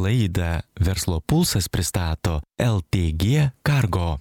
Laidą Verslo pulsas pristato LTG Cargo.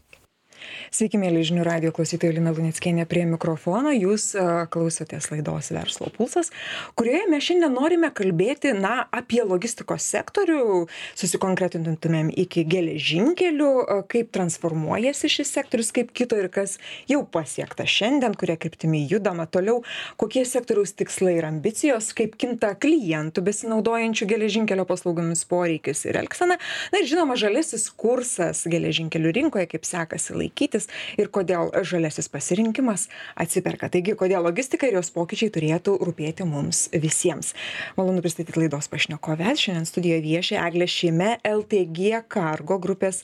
Sveiki, mėly žinių radijo klausytojai, Lina Luneckienė prie mikrofono. Jūs klausotės laidos Verslo pulsas, kurioje mes šiandien norime kalbėti apie logistikos sektorių, susikonkretintumėm iki geležinkelių, kaip transformuojasi šis sektorius, kaip kito ir kas jau pasiekta šiandien, kurie kryptimi judama toliau, kokie sektoriaus tikslai ir ambicijos, kaip kinta klientų besinaudojančių geležinkelio paslaugomis poreikis ir elgsena. Na ir žinoma, žalesis kursas geležinkelių rinkoje, kaip sekasi laikytis ir kodėl žalesis pasirinkimas atsiperka. Taigi, kodėl logistika ir jos pokyčiai turėtų rūpėti mums visiems. Malonu pristatyti laidos pašnekoves. Šiandien studijoje vieši Eglė Šime, LTG Cargo grupės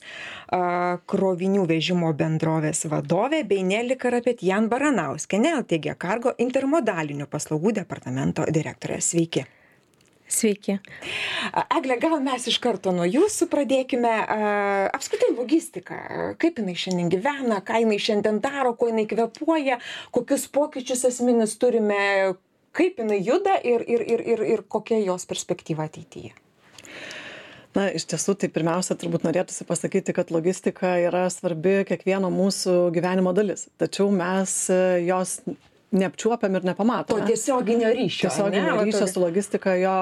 krovinių vežimo bendrovės vadovė, bei Neli Karapetjan Baranauskienė, LTG Cargo intermodalinių paslaugų departamento direktorė. Sveiki. Sveiki. Egle, gal mes iš karto nuo jūsų pradėkime. Apskritai logistika, kaip jinai šiandien gyvena, ką jinai šiandien daro, ko jinai kvėpuoja, kokius pokyčius esminius turime, kaip jinai juda ir kokia jos perspektyva ateityje. Na, iš tiesų, tai pirmiausia, turbūt norėtųsi pasakyti, kad logistika yra svarbi kiekvieno mūsų gyvenimo dalis. Tačiau mes jos neapčiuopiam ir nepamatome. To tiesioginio ryšio. Tiesioginio ryšio su logistika jo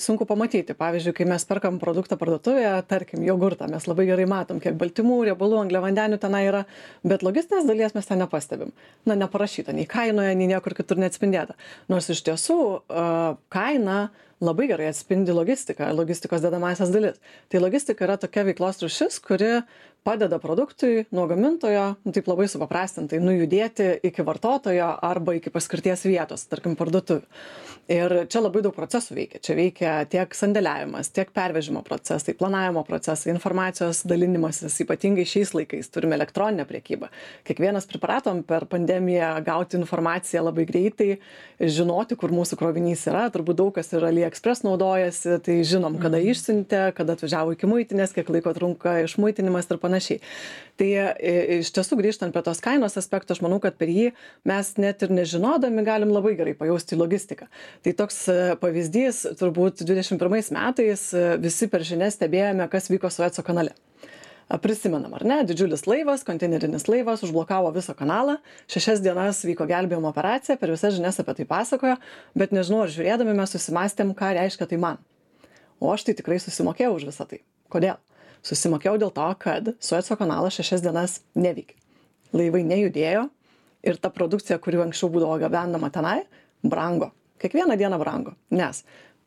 sunku pamatyti. Pavyzdžiui, kai mes perkam produktą parduotuvėje, tarkim, jogurtą, mes labai gerai matom, kiek baltymų, riebalų, angliavandenių tenai yra, bet logistinės dalies mes ten nepastebim. Na, neparašyta, nei kainoje, nei niekur kitur neatspindėta. Nors iš tiesų kaina labai gerai atspindi logistiką, logistikos dedamąsias dalis. Tai logistika yra tokia veiklos rūšis, kuri padeda produktui nuo gamintojo, taip labai supaprastintai, nujudėti iki vartotojo arba iki paskirties vietos, tarkim, parduotuvių. Ir čia labai daug procesų veikia. Čia veikia tiek sandėliavimas, tiek pervežimo procesai, planavimo procesai, informacijos dalinimasis, ypatingai šiais laikais turime elektroninę priekybą. Kiekvienas pripratom per pandemiją gauti informaciją labai greitai, žinoti, kur mūsų krovinys yra. Turbūt daug kas ir AliExpress naudojasi, tai žinom, kada išsiuntė, kada atvažiavo iki muitinės, kiek laiko trunka išmuitinimas ir panašiai. Tai iš tiesų grįžtant prie tos kainos aspekto, aš manau, kad per jį mes net ir nežinodami galim labai gerai pajausti logistiką. Tai toks pavyzdys, turbūt 21 metais visi per žinias stebėjome, kas vyko Sueco kanale. Prisimenam, ar ne? Didžiulis laivas, konteinerinis laivas užblokavo visą kanalą, 6 dienas vyko gelbėjimo operacija, per visas žinias apie tai pasakojo, bet nežinau, ar žiūrėdami mes susimastėm, ką reiškia tai man. O aš tai tikrai susimokėjau už visą tai. Kodėl? Susimokėjau dėl to, kad Sueco kanalas 6 dienas neveikė. Laivai nejudėjo ir ta produkcija, kuri anksčiau būdavo gabenama tenai, brango. Kiekvieną dieną brango, nes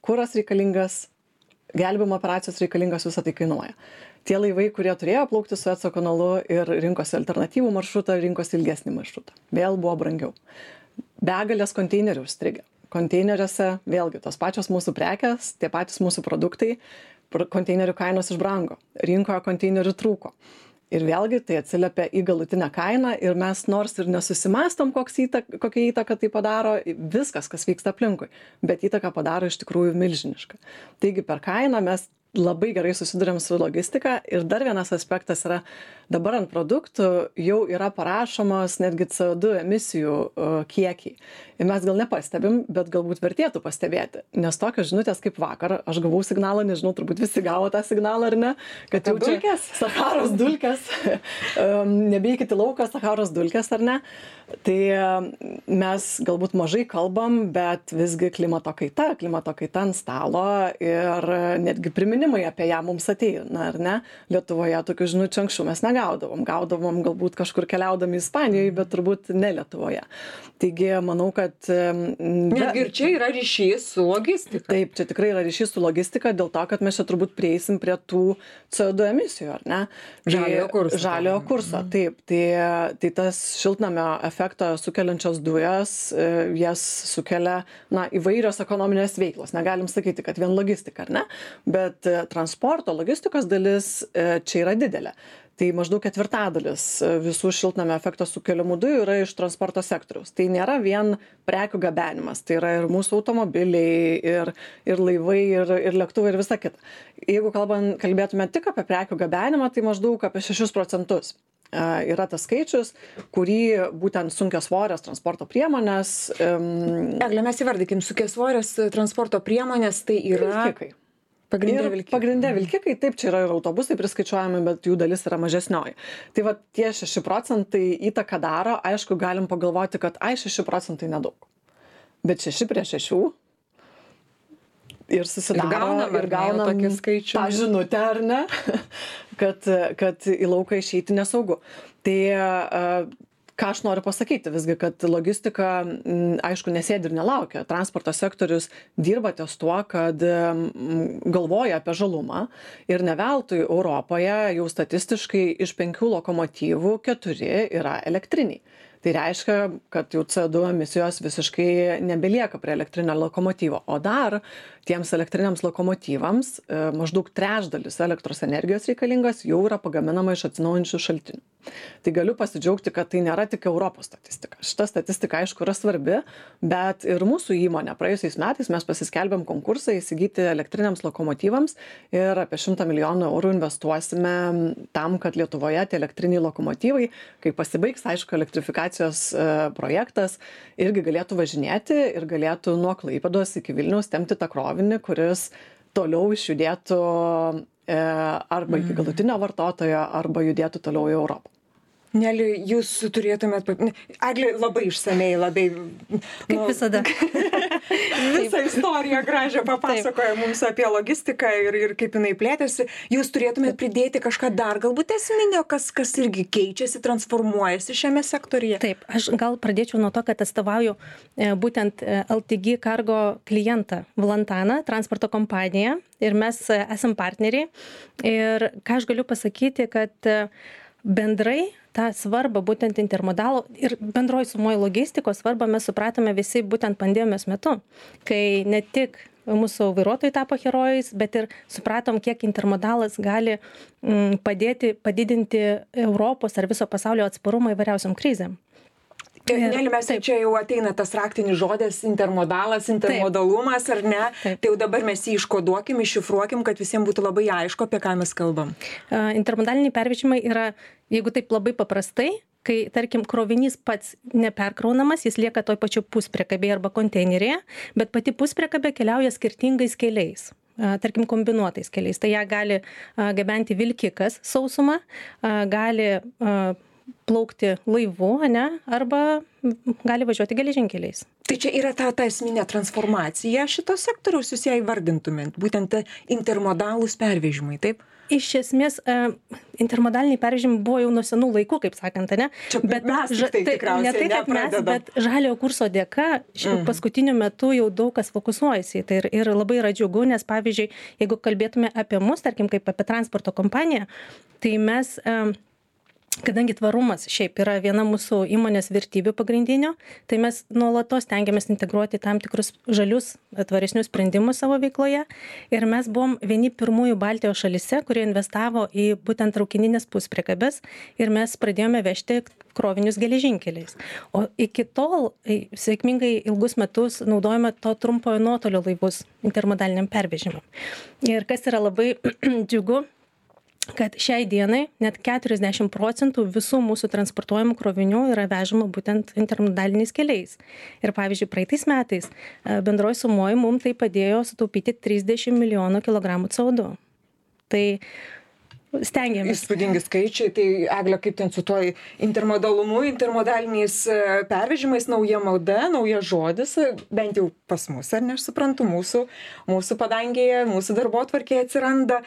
kuras reikalingas, gelbėjimo operacijos reikalingas, visą tai kainuoja. Tie laivai, kurie turėjo plaukti Sueco kanalu ir rinkosi alternatyvų maršrutą, rinkosi ilgesnį maršrutą. Vėl buvo brangiau. Begalės konteinerių užstrigę. Konteineriuose vėlgi tos pačios mūsų prekės, tie patys mūsų produktai, konteinerių kainos išbrango. Rinkoje konteinerių trūko. Ir vėlgi tai atsiliepia į galutinę kainą ir mes nors ir nesusimastom, kokią įtaką tai padaro, viskas, kas vyksta aplinkui, bet įtaką padaro iš tikrųjų milžinišką. Taigi per kainą mes labai gerai susiduriam su logistika ir dar vienas aspektas yra, dabar ant produktų jau yra parašomos netgi CO2 emisijų kiekiai. Ir mes gal nepastebim, bet galbūt vertėtų pastebėti, nes tokios žinutės kaip vakar, aš gavau signalą, nežinau, turbūt visi gavo tą signalą ar ne, kad jau čia Sacharos dulkės, nebeikite lauką, Sacharos dulkės ar ne. Tai mes galbūt mažai kalbam, bet visgi klimato kaita ant stalo ir netgi priminimai apie ją mums ateina, ar ne? Lietuvoje tokių žinučių anksčiau mes negaudavom. Gaudavom galbūt kažkur keliaudami Ispanijoje, bet turbūt ne Lietuvoje. Taigi, manau, kad netgi ir čia yra ryšys su logistika. Taip, čia tikrai yra ryšys su logistika, dėl to, kad mes čia turbūt prieisim prie tų CO2 emisijų, ar ne? Žaliojo kurso, taip. Tai tas šiltnamio efektą sukeliančios dujos, jas sukelia įvairios ekonominės veiklos. Negalim sakyti, kad vien logistika, ar ne? Bet transporto, logistikos dalis čia yra didelė. Tai maždaug 1/4 visų šiltnamio efekto sukeliamų dujų yra iš transporto sektoriaus. Tai nėra vien prekių gabenimas, tai yra ir mūsų automobiliai, ir laivai, ir lėktuvai, ir visa kita. Jeigu kalbėtume tik apie prekių gabenimą, tai maždaug apie 6% yra tas skaičius, kurį būtent sunkiasvorės transporto priemonės. Egle, mes įvardykim, sunkiasvorės transporto priemonės tai yra... Vilkikai. Pagrindė vilkikai, taip, čia yra ir autobusai priskaičiuojami, bet jų dalis yra mažesnioji. Tai va tie 6% įtaką daro, aišku, galim pagalvoti, kad 6% nedaug. Bet 6 prie 6 ir susidaro ir gaunam tą žinutę, ar ne, kad į lauką išeiti nesaugu. Tai ką aš noriu pasakyti visgi, kad logistika, aišku, nesėdi ir nelaukia. Transporto sektorius dirba ties tuo, kad galvoja apie žalumą ir ne veltui Europoje jau statistiškai iš 5 lokomotyvų 4 yra elektriniai. Tai reiškia, kad jau CO2 emisijos visiškai nebelieka prie elektrinio lokomotyvo. O dar tiems elektriniams lokomotyvams maždaug trečdalis elektros energijos reikalingas jau yra pagaminama iš atsinaujinančių šaltinių. Tai galiu pasidžiaugti, kad tai nėra tik Europos statistika. Šita statistika, aišku, yra svarbi, bet ir mūsų įmonė praėjusiais metais mes pasiskelbėm konkursą įsigyti elektriniams lokomotyvams ir apie 100 milijonų eurų investuosime tam, kad Lietuvoje tie elektriniai lokomotyvai, kai pasibaigs, aišku, elektrifikacijos projektas, irgi galėtų važinėti ir galėtų nuo Klaipėdos iki Vilniaus tempti tą krovinį, kuris toliau išjudėtų arba iki galutinio vartotojo, arba judėtų toliau į Europą. Neli, jūs turėtumėt... Eglė labai išsamei, labai... Kaip visada. Visą istoriją gražią papasakoja mums apie logistiką ir kaip jinai plėtėsi. Jūs turėtumėt pridėti kažką dar, galbūt esminio, kas irgi keičiasi, transformuojasi šiame sektoriuje? Taip, aš gal pradėčiau nuo to, kad atstovauju būtent LTG Cargo klientą Valantaną, transporto kompaniją, ir mes esam partneriai. Ir ką aš galiu pasakyti, kad bendrai tą svarbą būtent intermodalo ir bendroj sumoj logistikos svarbą mes supratome visi būtent pandemijos metu, kai ne tik mūsų vairuotojai tapo herojais, bet ir supratom, kiek intermodalas gali padidinti Europos ar viso pasaulio atsparumą įvairiausiam krizėm. Neli, mes čia jau ateina tas raktinis žodis intermodalas, intermodalumas, ar ne? Taip. Tai jau dabar mes jį iškoduokim, iššifruokim, kad visiems būtų labai aišku, apie ką mes kalbam. Intermodaliniai pervežimai yra, jeigu taip labai paprastai, kai, tarkim, krovinys pats neperkraunamas, jis lieka toj pačiu puspriekabėje arba konteinerėje, bet pati puspriekabė keliauja skirtingais keliais. Tarkim, kombinuotais keliais. Tai ją gali gabenti vilkikas sausumą, gali plaukti laivu, ne, arba gali važiuoti geležinkeliais. Tai čia yra ta esminė transformacija šito sektoriaus, jūs ją įvardintumėt, būtent intermodalūs pervežimai, taip? Iš esmės, intermodaliniai pervežimai buvo jau nuo senų laikų, kaip sakant, ne? Čia bet mes tai tikriausiai ne tai, kad mes, bet žaliojo kurso dėka paskutiniu metu jau daug kas fokusuojasi. Tai ir labai yra džiugu, nes pavyzdžiui, jeigu kalbėtume apie mus, tarkim, kaip apie transporto kompaniją, tai mes... Kadangi tvarumas šiaip yra viena mūsų įmonės vertybių pagrindinių, tai mes nuolatos stengiamės integruoti tam tikrus žalius, tvaresnius sprendimus savo veikloje. Ir mes buvom vieni pirmųjų Baltijos šalyse, kurie investavo į būtent traukininės puspriekabes ir mes pradėjome vežti krovinius geležinkeliais. O iki tol sėkmingai ilgus metus naudojame to trumpojo nuotolio laivus intermodaliniam pervežimam. Ir kas yra labai džiugu, kad šiai dienai net 40% visų mūsų transportuojamų krovinių yra vežama būtent intermodaliniais keliais. Ir pavyzdžiui, praeitais metais bendroj sumoj mums tai padėjo sutaupyti 30 milijonų kilogramų CO2. Tai stengiamės. Įspūdingi skaičiai, tai Eglė, kaip ten su tuo intermodalumu, intermodaliniais pervežimais, nauja mauda, naujas žodis, bent jau pas mus, ar ne, aš suprantu, mūsų padangėje, mūsų darbotvarkėje atsiranda.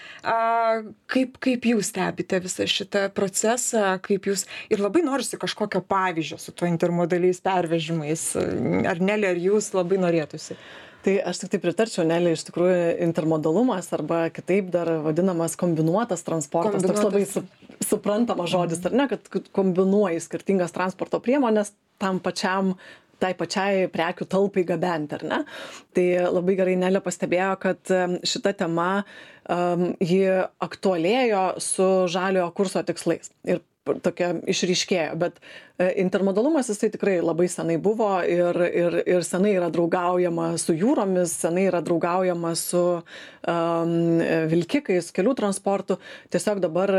Kaip jūs stebite visą šitą procesą, kaip jūs, ir labai norisi kažkokio pavyzdžio su tuo intermodaliais pervežimais, ar Neli, ar jūs labai norėtųsi? Tai aš tik tai pritarčiau, Neli, iš tikrųjų intermodalumas arba kitaip dar vadinamas kombinuotas transportas, toks labai suprantamas žodis, ar ne, kad kombinuoji skirtingas transporto priemonės tai pačiai prekių talpai gabenti, ar ne? Tai labai gerai Nelė pastebėjo, kad šita tema ji aktualėjo su žaliojo kurso tikslais. Ir tokia išryškėjo, bet intermodalumas jisai tikrai labai senai buvo ir senai yra draugaujama su jūromis, senai yra draugaujama su vilkikais, kelių transportu. Tiesiog dabar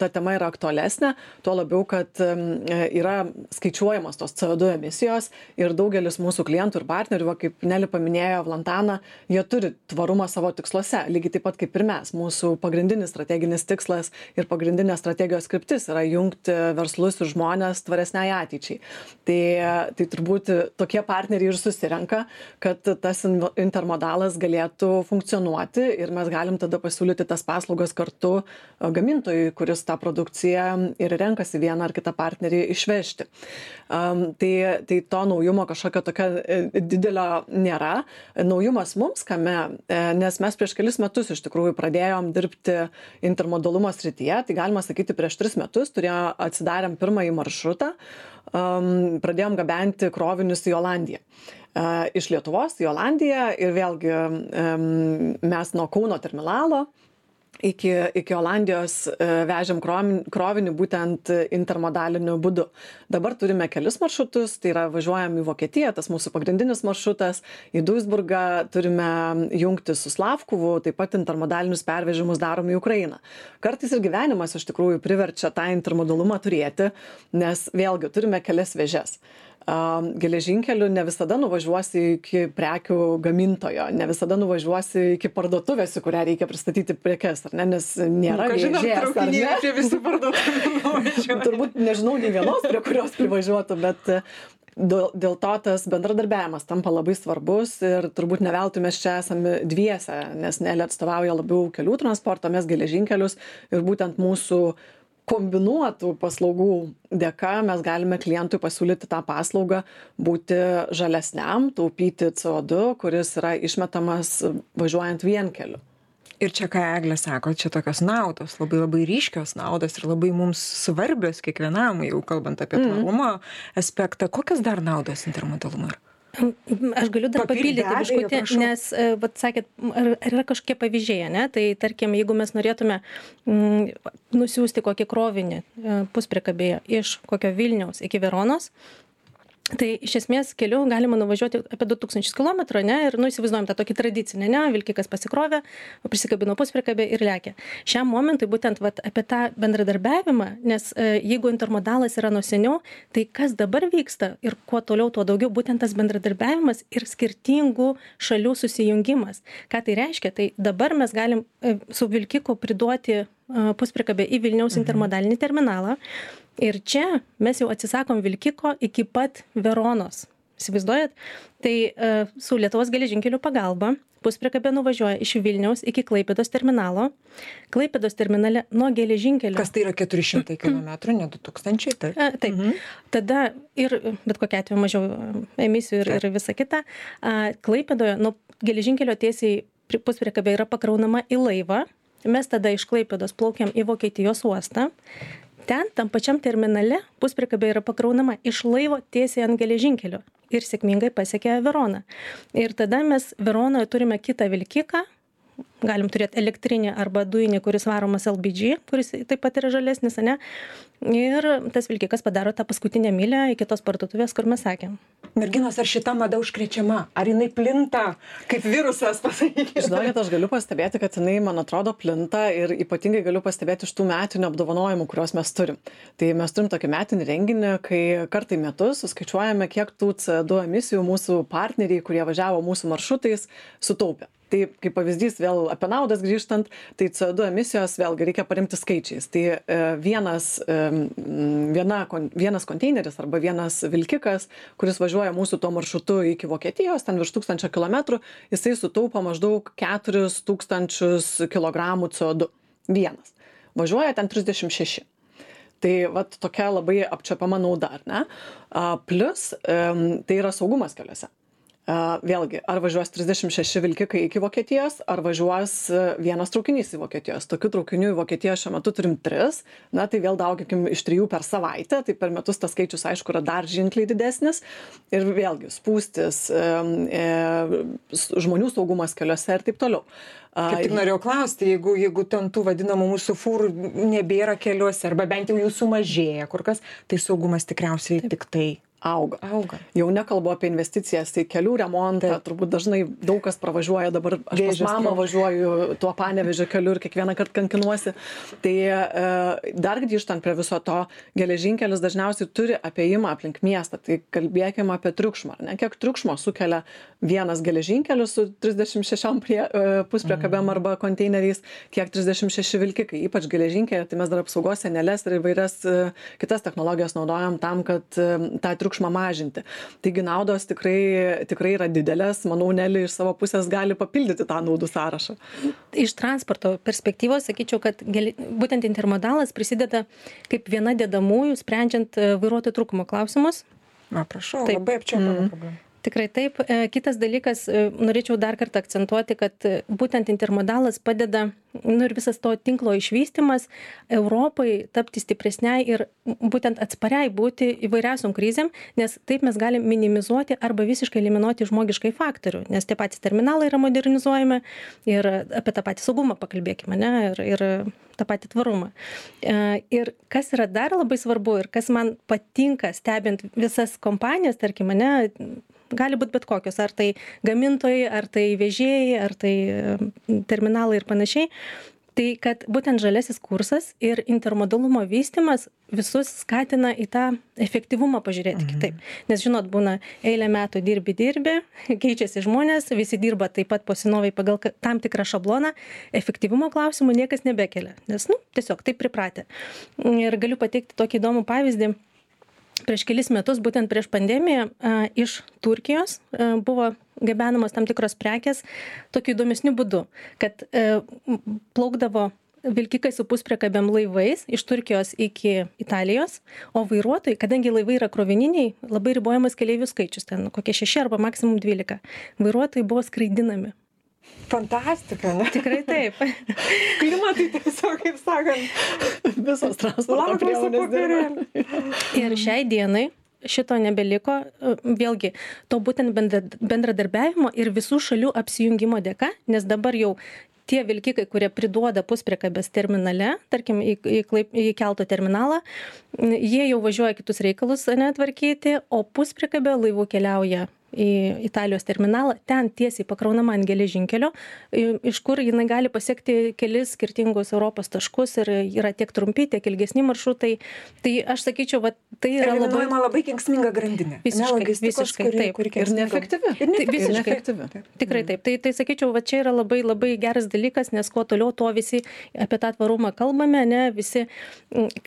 ta tema yra aktualesnė, tuo labiau, kad yra skaičiuojamos tos CO2 emisijos ir daugelis mūsų klientų ir partnerių, kaip Neli paminėjo Vlantaną, jie turi tvarumą savo tiksluose, lygiai taip pat kaip ir mes. Mūsų pagrindinis strateginis tikslas ir pagrindinė strategijos kryptis yra jungti verslus ir žmonės tvaresniai ateičiai. Tai turbūt tokie partneriai ir susirenka, kad tas intermodalas galėtų funkcionuoti ir mes galim tada pasiūlyti tas paslaugas kartu gamintojui, kuris tą produkciją ir renkasi vieną ar kitą partnerį išvežti. Tai to naujumo kažkokio tokio didelio nėra. Naujumas mums kame, nes mes prieš kelis metus iš tikrųjų pradėjom dirbti intermodalumo srityje, tai galima sakyti prieš 3 metus atsidarėm pirmąjį maršrutą, pradėjom gabenti krovinius į Olandiją. Iš Lietuvos į Olandiją ir vėlgi mes nuo Kauno terminalo iki Olandijos vežėm krovinį būtent intermodaliniu būdu. Dabar turime kelis maršrutus, tai yra važiuojam į Vokietiją, tas mūsų pagrindinis maršrutas, į Duisburgą turime jungti su Slavkuvu, taip pat intermodalinius pervežimus darom į Ukrainą. Kartais ir gyvenimas iš tikrųjų priverčia tą intermodalumą turėti, nes vėlgi turime kelias vėžes. Geležinkeliu ne visada nuvažiuosi iki prekių gamintojo, ne visada nuvažiuosi iki parduotuvės, į kurią reikia pristatyti prekes, ar ne, nes nėra vėžės, ar ne? Prie visų parduotuvių. Turbūt nežinau nei vienos, prie kurios privažiuotų, bet dėl to tas bendradarbiavimas tampa labai svarbus ir turbūt ne veltui mes čia esame dviese, nes Neli atstovauja labiau kelių transportą, mes geležinkelius ir būtent mūsų kombinuotų paslaugų dėka mes galime klientui pasiūlyti tą paslaugą būti žalesniam, taupyti CO2, kuris yra išmetamas važiuojant vienkeliu. Ir čia, ką Eglė sako, čia tokios naudos, labai ryškios naudos ir labai mums svarbios kiekvienam, jau kalbant apie tvarumo aspektą. Kokios dar naudos intermodalumo yra? Aš galiu dar papildyti biškutį, nes, sakėt, ar yra kažkokie pavyzdžiai, ne? Tai tarkim, jeigu mes norėtume nusiųsti kokį krovinį puspriekabėje iš kokio Vilniaus iki Veronos, tai iš esmės keliu galima nuvažiuoti apie 2000 km, ne, ir įsivaizduojam tą tokį tradicinį, ne, vilkikas pasikrovė, prisikabino puspriekabę ir lekia. Šiam momentui būtent apie tą bendradarbiavimą, nes jeigu intermodalas yra nuo seniau, tai kas dabar vyksta ir kuo toliau, tuo daugiau būtent tas bendradarbiavimas ir skirtingų šalių susijungimas. Ką tai reiškia? Tai dabar mes galim su vilkiku priduoti puspriekabę į Vilniaus intermodalinį terminalą. Ir čia mes jau atsisakom vilkiko iki pat Veronos. Įsivaizduojat? Tai su Lietuvos geležinkelių pagalba puspriekabė nuvažiuoja iš Vilniaus iki Klaipėdos terminalo. Klaipėdos terminale nuo geležinkelio. Kas tai yra 400 km, ne 2000? Taip. Tada ir bet kokia atveju mažiau emisijų ir visa kita. Klaipėdoje nuo geležinkelio tiesiai puspriekabė yra pakraunama į laivą. Mes tada iš Klaipėdos plaukiam į Vokietijos uostą. Ten, tam pačiam terminale, puspriekabė yra pakraunama iš laivo tiesiai ant geležinkelio ir sėkmingai pasiekia Veroną. Ir tada mes Veronoje turime kitą vilkiką, galim turėti elektrinį arba dujinį, kuris varomas LPG, kuris taip pat yra žalesnis, ne? Ir tas vilkikas padaro tą paskutinę mylę iki tos parduotuvės, kur mes sakėm. Merginos, ar šita mada užkrečiama? Ar jinai plinta kaip virusas, pasakykite? Žinokit, aš galiu pastebėti, kad jinai, man atrodo, plinta ir ypatingai galiu pastebėti iš tų metinių apdovanojimų, kuriuos mes turim. Tai mes turim tokį metinį renginį, kai kartą į metus suskaičiuojame, kiek tų CO2 emisijų mūsų partneriai, kurie važiavo mūsų maršrutais, sutaupė. Tai kaip pavyzdys vėl apie naudas grįžtant, tai CO2 emisijos vėlgi reikia paremti skaičiais. Tai vienas konteineris arba vienas vilkikas, kuris važiuoja mūsų tuo maršrutu iki Vokietijos, ten virš 1000 km, jisai sutaupo maždaug 4000 kg CO2. Vienas. Važiuoja ten 36. Tai vat tokia labai apčiuopiama nauda, ar ne? Plius tai yra saugumas keliuose. Vėlgi, ar važiuos 36 vilkikai iki Vokietijos, ar važiuos vienas traukinys į Vokietijos. Tokių traukinių į Vokietiją šiuo metu turim 3, na tai vėl daugikim iš 3 per savaitę, tai per metus tas skaičius aišku yra dar ženkliai didesnis. Ir vėlgi, spūstis, žmonių saugumas keliuose ir taip toliau. Kaip tik norėjau klausti, jeigu ten tų vadinamų mūsų fūrų nebėra keliuose, arba bent jau jų sumažėja kur kas, tai saugumas tikriausiai tik tai auga. Jau nekalbu apie investicijas į kelių remontą, turbūt dažnai daug kas pravažiuoja, dabar aš pas mamą važiuoju tuo Panevėžio keliu ir kiekvieną kartą kankinuosi. Tai dar grįžtant prie viso to, geležinkelis dažniausiai turi apėjimą aplink miestą, tai kalbėkime apie triukšmą, ne? Kiek triukšmo sukelia vienas geležinkelis su 36 puspriekabėm arba konteineriais, kiek 36 vilkikai, ypač geležinkelį, tai mes dar apsaugos sienelės ir įvairias kitas technologijas naudojam tam, kad tą triukšmą mažinti. Taigi naudos tikrai yra didelės, manau, Neli iš savo pusės gali papildyti tą naudų sąrašą. Iš transporto perspektyvos sakyčiau, kad būtent intermodalas prisideda kaip viena dedamųjų, sprendžiant vairuotojų trūkumo klausimus. Na, prašau, labai apčiuopiama problema. Tikrai taip. Kitas dalykas, norėčiau dar kartą akcentuoti, kad būtent intermodalas padeda, ir visas to tinklo išvystymas Europai tapti stipresniai ir būtent atspariai būti įvairiausiom krizėm, nes taip mes galim minimizuoti arba visiškai eliminuoti žmogiškai faktorių, nes tie patys terminalai yra modernizuojami ir apie tą patį saugumą pakalbėkime, ne, ir tą patį tvarumą. Ir kas yra dar labai svarbu ir kas man patinka stebint visas kompanijas, tarkim, ne, gali būti bet kokios, ar tai gamintojai, ar tai vežėjai, ar tai terminalai ir panašiai. Tai kad būtent žaliasis kursas ir intermodalumo vystymas visus skatina į tą efektyvumą pažiūrėti kitaip. Nes žinot, būna eilę metų dirbi, keičiasi žmonės, visi dirba taip pat posinoviai pagal tam tikrą šabloną, efektyvumo klausimų niekas nebekelia, nes tiesiog taip pripratę. Ir galiu pateikti tokį įdomų pavyzdį. Prieš kelis metus, būtent prieš pandemiją, iš Turkijos buvo gabenamos tam tikros prekės tokiu įdomesniu būdu, kad plaukdavo vilkikai su puspriekabėm laivais iš Turkijos iki Italijos, o vairuotojai, kadangi laivai yra krovininiai, labai ribojamas keleivių skaičius, ten kokie 6 arba maksimum 12. Vairuotojai buvo skraidinami. Fantastika, ne? Tikrai taip. Klimatai tiesiog, kaip sakant, visos transporto priemonės dirba. Ir šiai dienai šito nebeliko, vėlgi, to būtent bendradarbiavimo ir visų šalių apsijungimo dėka, nes dabar jau tie vilkikai, kurie priduoda puspriekabės terminale, tarkim, į kelto terminalą, jie jau važiuoja kitus reikalus netvarkyti, o puspriekabė laivų keliauja į Italijos terminalą, ten tiesiai pakraunama ant geležinkelio, iš kur jinai gali pasiekti kelis skirtingus Europos taškus ir yra tiek trumpi, tiek ilgesni maršrutai. Tai aš sakyčiau, tai yra labai kenksminga grandinė. Visiškai taip. Ir neefektyvi. Tikrai taip. Tai sakyčiau, čia yra labai, labai geras dalykas, nes kuo toliau, tuo visi apie tą tvarumą kalbame, ne, visi,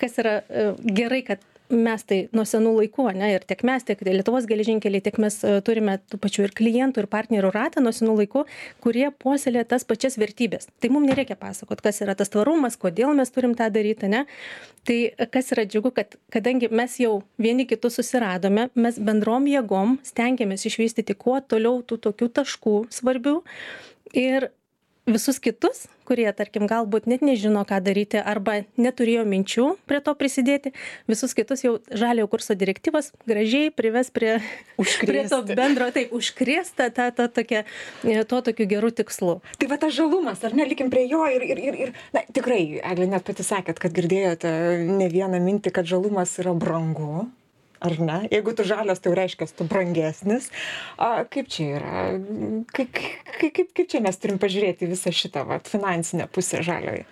kas yra gerai, kad mes tai nuo senų laikų, ne, ir tiek mes, tiek Lietuvos geležinkeliai, tiek mes turime tų pačių ir klientų, ir partnerių ratą nuo senų laikų, kurie puoselėja tas pačias vertybės. Tai mums nereikia pasakoti, kas yra tas tvarumas, kodėl mes turim tą daryti, ne. Tai kas yra džiugu, kad kadangi mes jau vieni kitus susiradome, mes bendrom jėgom stengiamės išvystyti kuo toliau tų tokių taškų svarbių ir visus kitus, kurie, tarkim, galbūt net nežino, ką daryti arba neturėjo minčių prie to prisidėti, visus kitus jau žaliojo kurso direktyvos gražiai prives prie to bendro, taip, užkrėsta to tokiu geru tikslu. Tai va tas žalumas, ar ne, likim prie jo ir na, tikrai, Eglė, net pati sakėt, kad girdėjote ne vieną mintį, kad žalumas yra brangu. Ar ne? Jeigu tu žalias, tai reiškia, tu brangesnis. Kaip čia yra? Kaip čia mes turim pažiūrėti visą šitą finansinę pusę žaliojo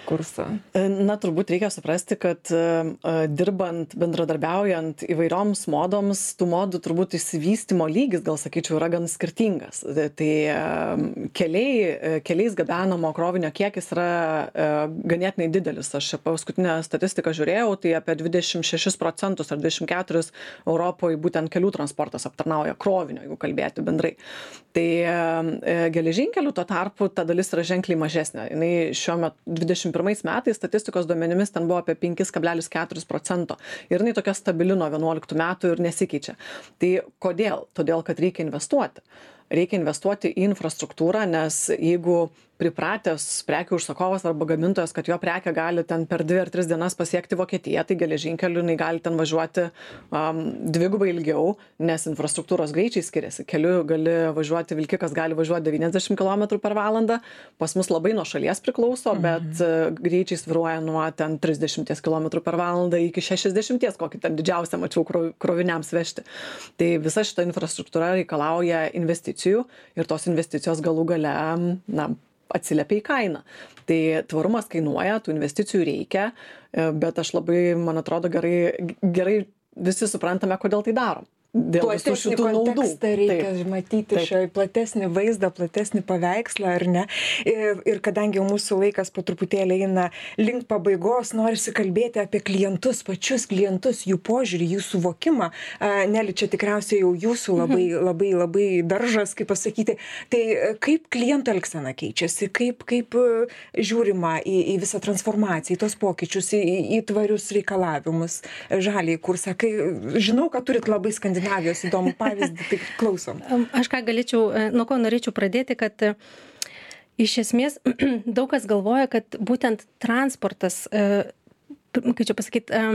kurso? Na, turbūt reikia suprasti, kad dirbant, bendradarbiaujant įvairioms modoms, tų modų turbūt išsivystymo lygis, gal sakyčiau, yra gan skirtingas. Tai keliais gabenamo krovinio kiekis yra ganėtinai didelis. Aš paskutinę statistiką žiūrėjau, tai apie 26% ar 24% Europoje būtent kelių transportas aptarnauja krovinio, jeigu kalbėti bendrai. Tai geležinkelių tuo tarpu ta dalis yra ženkliai mažesnė. Jinai šiuo metu 21 metais statistikos duomenimis ten buvo apie 5,4% ir jinai tokia stabili nuo 11 metų ir nesikeičia. Tai kodėl? Todėl, kad reikia investuoti. Reikia investuoti į infrastruktūrą, nes jeigu pripratęs prekių užsakovas arba gamintojas, kad jo prekė gali ten per 2 ar 3 dienas pasiekti Vokietiją, tai geležinkeliu jinai gali ten važiuoti dvigubai ilgiau, nes infrastruktūros greičiai skiriasi. Keliu gali važiuoti, vilkikas gali važiuoti 90 km per valandą, pas mus labai nuo šalies priklauso, bet greičiai svyruoja nuo ten 30 km per valandą iki 60, kokį ten didžiausią mačiau kroviniams vežti. Tai visa šita infrastruktūra reikalauja investicijų ir tos investicijos galų gale, atsiliepia į kainą. Tai tvarumas kainuoja, tų investicijų reikia, bet aš labai, man atrodo, gerai visi suprantame, kodėl tai darom. Dėl visų šitų naudų. Kontekstą reikia matyti šioje platesnį vaizdą, platesnį paveikslą, ar ne? Ir kadangi jau mūsų laikas po truputėlį eina link pabaigos, norisi kalbėti apie klientus, pačius klientus, jų požiūrį, jų suvokimą. Neli, čia tikriausiai jau jūsų labai daržas, kaip pasakyti. Tai kaip klientų elgsena keičiasi, kaip žiūrima į visą transformaciją, į tos pokyčius, į tvarius reikalavimus, žaliai kursą. Žinau, kad turit labai Skandinavijos įdomų pavyzdį, tai klausom. Aš ką galėčiau, nuo ko norėčiau pradėti, kad iš esmės daug kas galvoja, kad būtent transportas, kaip čia pasakyti,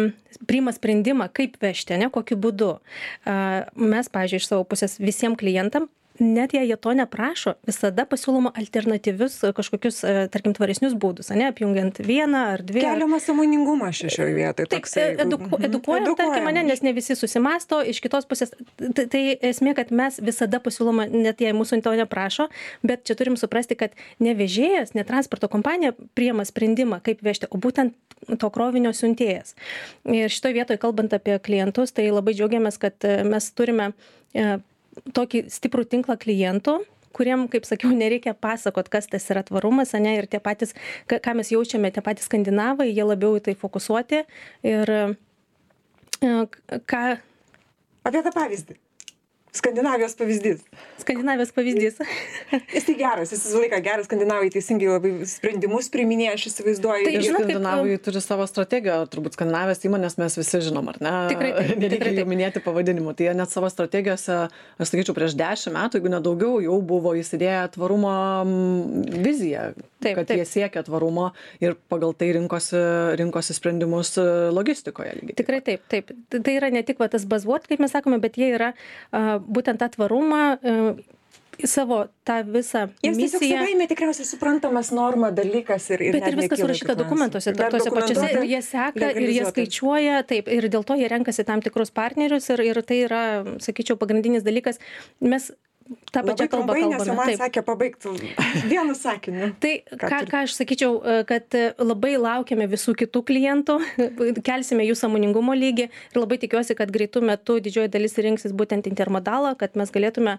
priima sprendimą, kaip vežti, ne, kokiu būdu. Mes, pavyzdžiui, iš savo pusės visiems klientam, net jei jie to neprašo, visada pasiūloma alternatyvius kažkokius, tarkim, tvaresnius būdus, ne, apjungiant vieną ar dvi. Keliama sąmoningumą šioje vietoje. Taip, edukuojam, tarkim, nes ne visi susimasto, iš kitos pusės. Tai esmė, kad mes visada pasiūloma, net jei mūsų to neprašo, bet čia turim suprasti, kad ne vežėjas, ne transporto kompanija priima sprendimą, kaip vežti, o būtent to krovinio siuntėjas. Ir šitoje vietoje, kalbant apie klientus, tai labai džiaugiamės, kad mes turime tokį stiprų tinklą klientų, kuriem, kaip sakiau, nereikia pasakot, kas tas yra tvarumas, ne, ir tie patys, ką mes jaučiame, tie patys skandinavai, jie labiau į tai fokusuoti. Ir ką... Apie tą pavyzdį. Skandinavijos pavyzdys. Jis tai geras, jis visą laiką geras, skandinavai teisingai labai sprendimus priiminėja, aš įsivaizduoju. Tai skandinavai turi savo strategiją, turbūt Skandinavijos įmonės mes visi žinom, ar ne? Nereikia jų minėti pavadinimu. Tai jie net savo strategijose, aš sakyčiau, prieš 10 metų, jeigu nedaugiau, jau buvo įsidėję tvarumo viziją, kad jie siekia tvarumo ir pagal tai rinkosi sprendimus logistikoje. Tikrai taip. Tai yra ne tik tas buzzword, kaip mes sakome, bet jie yra būtent tą tvarumą, savo tą visą misiją. Jiems tiesiog savaime tikriausiai suprantamas norma dalykas ir bet ir viskas surašyta dokumentuose, tose pačiose, ir jie seka, ir jie skaičiuoja, taip, ir dėl to jie renkasi tam tikrus partnerius ir tai yra, sakyčiau, pagrindinis dalykas. Mes tą pačią kalbą kalbame. Nes man sakė pabaigti vienu sakiniu. Tai ką aš sakyčiau, kad labai laukiame visų kitų klientų, kelsime jų sąmoningumo lygį ir labai tikiuosi, kad greitų metų didžioji dalis rinksis būtent intermodalą, kad mes galėtume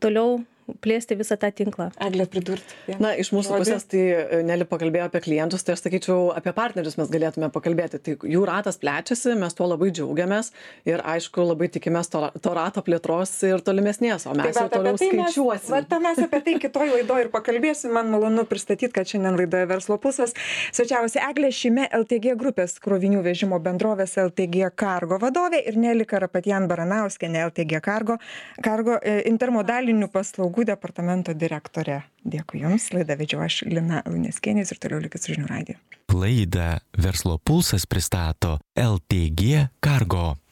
toliau plėsti visą tą tinklą. Eglė, pridurti. Na, iš mūsų pusės, tai Neli pakalbėjo apie klientus, tai aš sakyčiau, apie partnerius mes galėtume pakalbėti. Tai jų ratas plečiasi, mes tuo labai džiaugiamės ir aišku, labai tikimės to rato plėtros ir tolimesnės, o mes jau toliau skaičiuosim. Mes apie tai kitoj laidoje ir pakalbėsim. Man malonu pristatyti, kad šiandien laidoje Verslo pulsas svečiavosi Eglė Šime, LTG grupės krovinių vežimo bendrovės LTG Cargo vadovė ir Neli Karapetjan Baranauskienė, LTG Cargo intermodalinių paslaugų departamento direktorė. Dėkui Jums. Laidą vedžiau aš, Lina Luneckienė, ir toliau likit su žinių radiju. Laidą Verslo pulsas pristato LTG Cargo.